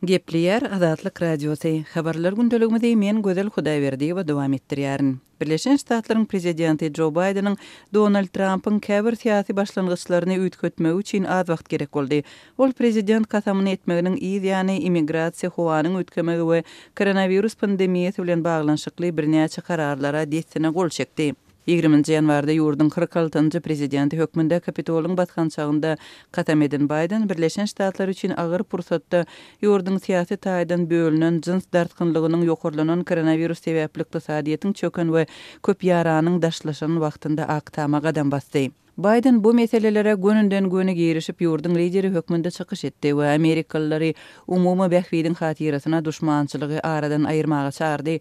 Gepleýär Azatlyk Radiosy. Habarlar gündeligimizi men Gözel Hudaýberdiýewa dowam etdirýärin. Birleşen Ştatlaryň Prezidenti Jo Baýdeniň Donald Trampyň käbir syýasy başlangyçlaryny üýtgetmegi üçin az wagt gerek boldy. Ol prezident kasamyny etmeginiň yz ýany immigrasiýa, howanyň üýtgemegi we koronawirus pandemiýasy bilen baglanyşykly birnäçe kararlara dessine gol çekdi. Ýigriminji ýanwarda ýurduň 46-njy prezidenti hökmünde Kapitolyň basgançagynda kasam eden Baýden Birleşen Ştatlar üçin agyr pursatda ýurduň syýasy taýdan bölünen, jyns dartgynlygynyň ýokarlanan, koronawirus sebäpli ykdysadyýetiň çöken we köp ýaranyň daşlaşan wagtynda Ak Tama gadam basdy. Baýden bu meselelere gönüden-göni girişip, ýurduň lideri hökmünde çykyş etdi we amerikalylary umumy bähbidiň hatyrasyna duşmançylygy aradan aýyrmaga çagyrdy.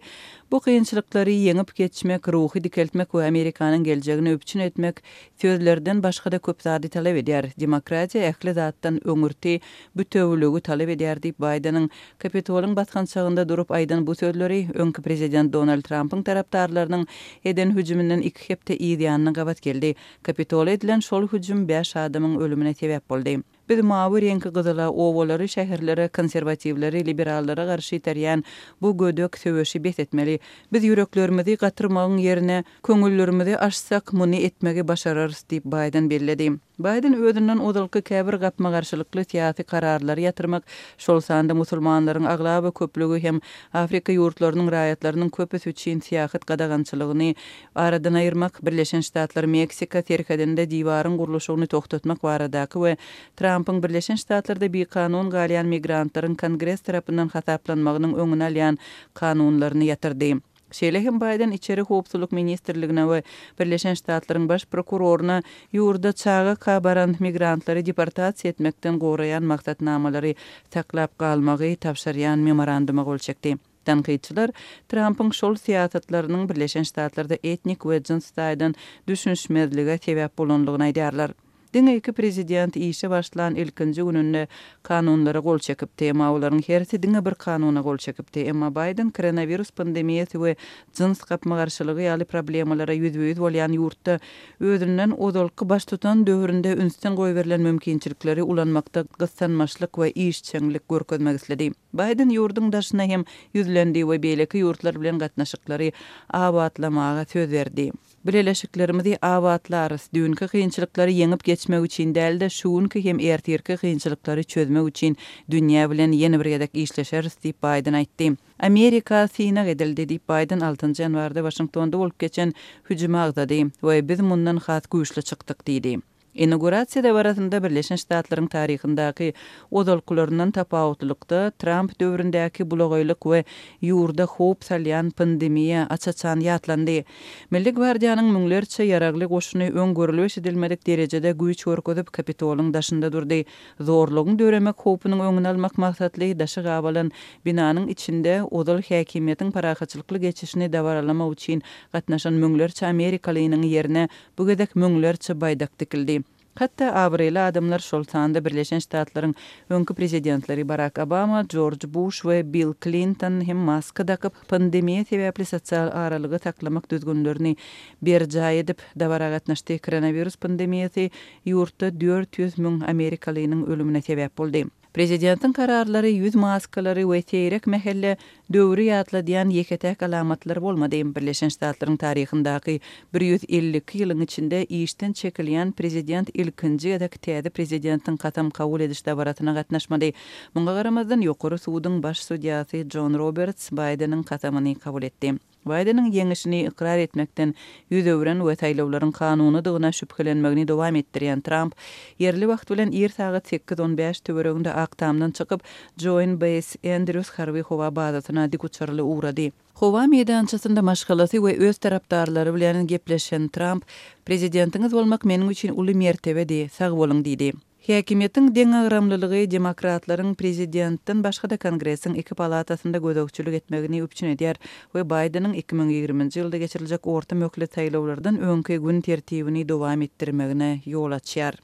Bu kynçylyklary ýeňip geçmek, ruhy dikeltmek we Amerikanyň geljegini üpjün etmek sözlerden başga-da köp zady talap edýär. Demokratiýa ähli zatdan öňürti bütewüligi talap edýär diýip, Baýdeniň Kapitolyň basgançagynda durup aýdan bu sözleri öňki prezident Donald Trampyň tarapdarlarynyň eden hüjüminden iki hepde yz ýanyna gabat geldi. Kapitola edilen şol hüjüm bäş adamyň ölümine sebäp boldy. Biz mawy reňki gyzyla, obalary, şäherlere, konserwatiwleri liberallara garşy iterýän bu gödek söweşi bes etmeli. Biz ýüreklerimizi gatyrmagyň ýerine, köňüllerimizi açsak, muny etmegi başararys diýip, Baýden belledi. Baýden özünden ozalky käbir gapma-garşylykly syýasy kararlary ýatyrmak, şol sanda musulmanlaryň aglaba köplügi hem Afrika ýurtlarynyň raýatlarynyň köpüsi üçin syýahat gadagançylygyny aradan aýyrmak, Birleşen Ştatlar-Meksika serhedinde diwaryň gurluşygyny togtatmak baradaky we Trampyň Birleşen Ştatlarda bikanun galýan migrantlaryň Kongres tarapyndan hasaplanmagynyň öňüni alýan kanunlaryny ýatyrdy. Şeýle hem Baýden Içeri howpsuzlyk ministrligine we Birleşen Ştatlaryň Baş prokuroryna ýurda çaga baran migrantlary deportasiýa etmekden goraýan maksatnamalary saklap galmagy tabşyrýan memoranduma gol çekdi. Tankytçylar Trampyň şol syýasatlarynyň Birleşen Ştatlarda etnik we jyns taýdan düşünişmezlige sebäp bolandygyny aýdýarlar. Diňe iki prezident işe başlan ilkinji gününde kanunlara gol çekipdi. Emma olaryň hersi diňe bir kanuna gol çekipdi. Emma Baýden koronawirus pandemiýasy we jyns gapma-garşylygy ýaly problemalara ýüzbe-ýüz bolýan ýurtda özünden ozalky baştutan döwründe ünsden goýberilen mümkinçilikleri ulanmakda gyssanmaçlyk we işjeňlik görkezmek isledi. Baýden ýurduň daşyna hem ýüzlendi we beýleki ýurtlar bilen gatnaşyklary abatlamaga söz berdi. Bileleşiklerimizi abatlarys, düýnki kynçylyklary ýeňip geçmek üçin däl-de, şu günki hem ertirki kynçylyklary çözmek üçin dünýä bilen ýene bir gezek işleşeris diýip, Baýden aýtdy. Amerika synag edildi diýip, Baýden altynjy ýanwarda Waşingtonda bolup geçen hüjümi agzady we biz mundan has güýçli çykdyk diýdi. Inaugurasiýa dabarasynda Birleşen Ştatlaryň taryhyndaky ozalkylaryndan tapawutlylykda, Tramp döwründäki bulagaýlyk we ýurda howp salýan pandemiýa aç-açan ýatlandy. Milli gwardiýanyň müňlerçe ýaragly goşuny öň görülip-eşidilmedik derejede güýç görkezip, Kapitolyň daşynda durdy. Zorlugyň döremek howpunyň öňüni almak maksatly daşy gabalan binanyň içinde ozal häkimiýetiň parahatçylykly geçişini dabaralamak üçin gatnaşan müňlerçe amerikalynyň ýerine Bu gezek müňlerçe baýdak dikildi. Hatda abraýly adamlar, şol sanda Birleşen Ştatlaryň öňki prezidentleri Barak Obama, Jorj Buş we Bill Klinton hem maska dakyp, pandemiýa sebäpli sosial aralygy saklamak düzgünlerini berjaý edip, dabara gatnaşdy. Koronawirus pandemiýasy ýurtda 400 müň amerikalynyň ölümine sebäp boldy. Prezidentiň kararlary ýüz maskalary we seýrek mähelle döwri ýatladýan ýeke-täk alamatlar bolmady. Birleşen Ştatlaryň taryhyndaky 152 ýylyň içinde işden çekilýän prezident ilkinji gezek täze prezidentiň kasam kabul ediş dabarasyna gatnaşmady. Muňa garamazdan, Ýokary suduň baş sudýasy Jon Roberts Baýdeniň kasamyny kabul etdi. Baýdeniň ýeňişini ykrar etmekden ýüz öwren we saýlawlaryň kanunydygyna şübhelenmegini dowam etdirýän Tramp, ýerli wagt bilen ir sagat sekiz on bäş töwereginde Ak Tamdan çykyp, Join Base Andrews harby howa bazasyna dikuçarly ugrady. Howa meýdançasynda maşgalasy we öz tarapdarlary bilen gepleşen Tramp, Prezidentiňiz bolmak meniň üçin uly mertebedi, sag boluň diýdi. Häkimiýetiň deňagramlylygy demokratlaryň prezidentden başga-da Kongresiň iki palatasynda gözegçilik etmegini üpjün edýär we Baýdeniň 2020-nji ýylda geçiriljek orta möhlet saýlawlardan öňki gün tertibini dowam etdirmegine ýol açýar.